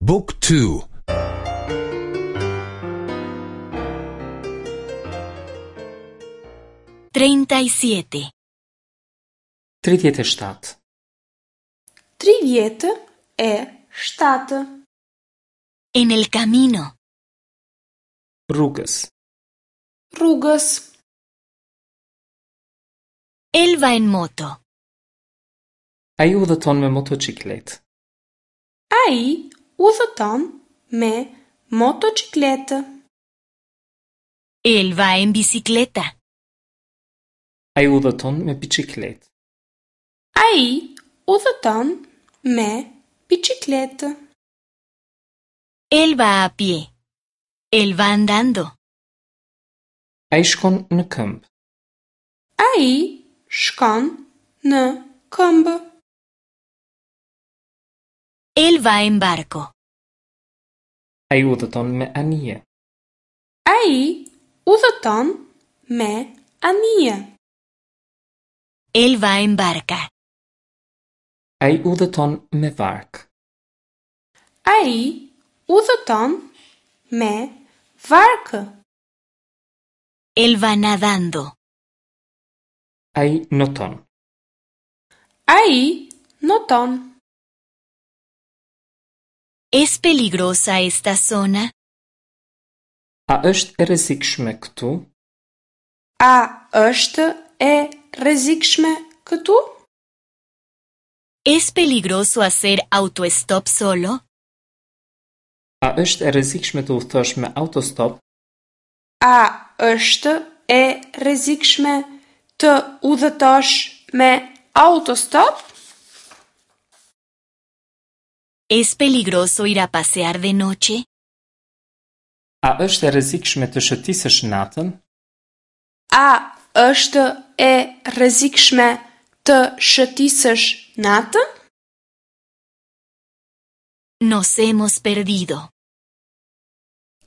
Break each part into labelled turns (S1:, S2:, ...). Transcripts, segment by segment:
S1: บุ๊กทู
S2: 37.
S3: 37.
S4: 37.
S2: En el camino.
S3: Rrugës.
S4: Rrugës.
S2: Él va en moto.
S3: Ai udhëton me motoçikletë.
S4: Ai udhëton me motoçikletë.
S2: Él va en bicicleta.
S3: Ai udhëton me biçikletë.
S4: Ai udhëton me biçikletë.
S2: Él va a pie. Él va andando.
S3: Ai shkon në këmbë.
S4: Ai shkon në këmbë.
S2: Él va en barco.
S3: Ai udhëton me anije.
S4: Ai udhëton me anije.
S2: Él va en barca.
S3: Ai udhëton me varkë.
S4: Ai udhëton me varkë.
S2: Él va nadando.
S3: Ai noton.
S4: Ai noton.
S2: ¿Es peligrosa esta zona?
S3: A është e rrezikshme këtu?
S4: A është e rrezikshme këtu?
S2: ¿Es peligroso hacer autostop solo?
S3: A është e rrezikshme të udhëtosh me autostop?
S4: A është e rrezikshme të udhëtosh me autostop?
S2: ¿Es peligroso ir a pasear de noche?
S3: A është e rrezikshme të shëtisësh natën?
S4: A është e rrezikshme të shëtisësh natën?
S2: Nos hemos perdido.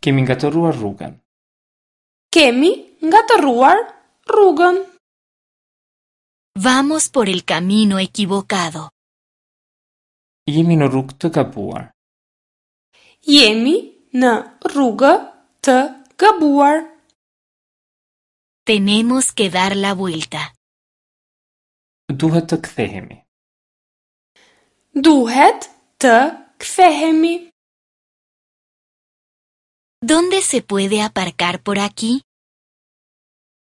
S3: Kemi ngatërruar rrugën.
S4: Kemi ngatërruar rrugën.
S2: Vamos por el camino equivocado.
S3: Jemi në rrugë të gabuar.
S4: Jemi në rrugë të gabuar.
S2: Tenemos que dar la vuelta.
S3: Duhet të kthehemi.
S4: Duhet të kthehemi.
S2: ¿Dónde se puede aparcar por aquí?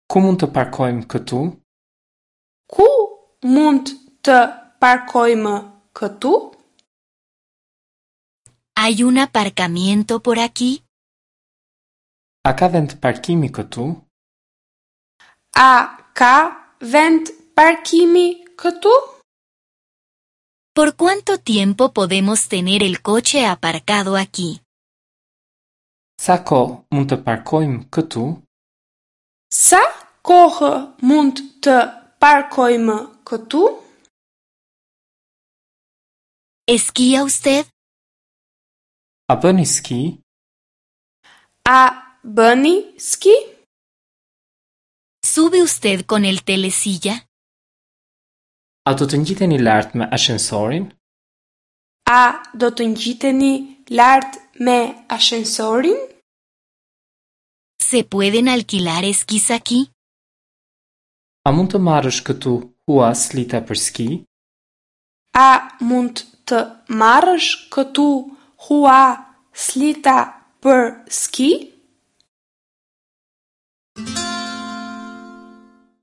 S3: Ku mund të parkojmë këtu?
S4: Ku mund të parkojmë këtu?
S2: ¿Hay un aparcamiento por aquí?
S3: A ka vend parkimi këtu?
S4: A ka vend parkimi këtu?
S2: ¿Por cuánto tiempo podemos tener el coche aparcado aquí?
S3: Sa kohë mund të parkojmë këtu?
S4: Sa kohë mund të parkojmë këtu?
S2: ¿Esquía usted?
S3: A bëni ski?
S4: A bëni ski?
S2: ¿Sube usted con el telesilla?
S3: A do të ngjiteni lart me ashensorin?
S4: A do të ngjiteni lart me ashensorin?
S2: ¿Se pueden alquilar esquís aquí?
S3: A mund të marrësh këtu hua slita për ski?
S4: A mund të marrësh këtu hua slita për ski?